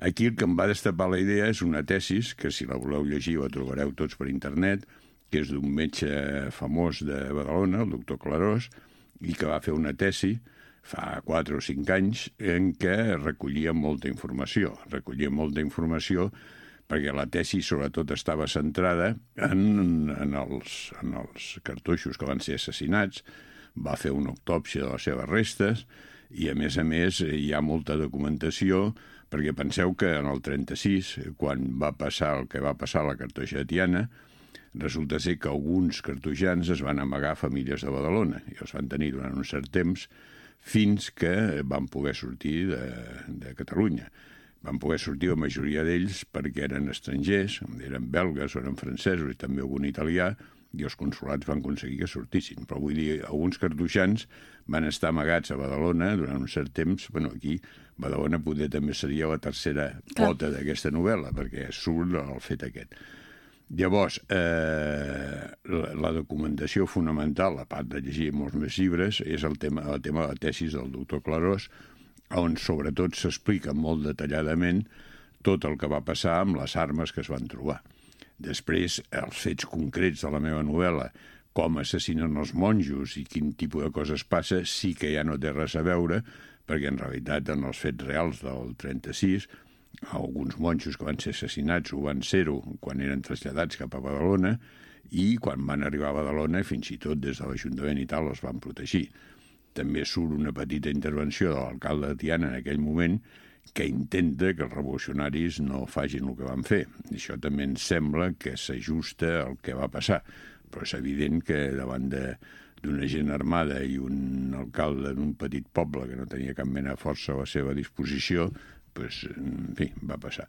Aquí el que em va destapar la idea és una tesis, que si la voleu llegir la trobareu tots per internet, que és d'un metge famós de Badalona, el doctor Clarós, i que va fer una tesi fa 4 o 5 anys en què recollia molta informació. Recollia molta informació perquè la tesi sobretot estava centrada en els cartoixos que van ser assassinats, va fer una autòpsia de les seves restes i, a més, hi ha molta documentació perquè penseu que en el 36, quan va passar el que va passar a la cartoixa de Tiana, resulta ser que alguns cartoixans es van amagar a famílies de Badalona i els van tenir durant un cert temps fins que van poder sortir de Catalunya. Van poder sortir la majoria d'ells perquè eren estrangers, eren belgues o eren francesos i també algun italià, i els consulats van aconseguir que sortissin. Però vull dir, alguns cartoixans van estar amagats a Badalona durant un cert temps. Bueno, aquí Badalona poder també seria la tercera pota d'aquesta novel·la, perquè surt el fet aquest. Llavors, la documentació fonamental, a part de llegir molts més llibres, és el tema de la tesis del doctor Clarós, on sobretot s'explica molt detalladament tot el que va passar amb les armes que es van trobar. Després, els fets concrets de la meva novel·la, com assassinen els monjos i quin tipus de coses passa, sí que ja no té res a veure, perquè en realitat en els fets reals del 36, alguns monjos que van ser assassinats ho van ser-ho quan eren traslladats cap a Badalona i quan van arribar a Badalona, fins i tot des de l'Ajuntament i tal, els van protegir. També surt una petita intervenció de l'alcalde de Tiana en aquell moment que intenta que els revolucionaris no facin el que van fer. Això també ens sembla que s'ajusta al que va passar, però és evident que davant d'una gent armada i un alcalde d'un petit poble que no tenia cap mena de força a la seva disposició, doncs, en fi, va passar.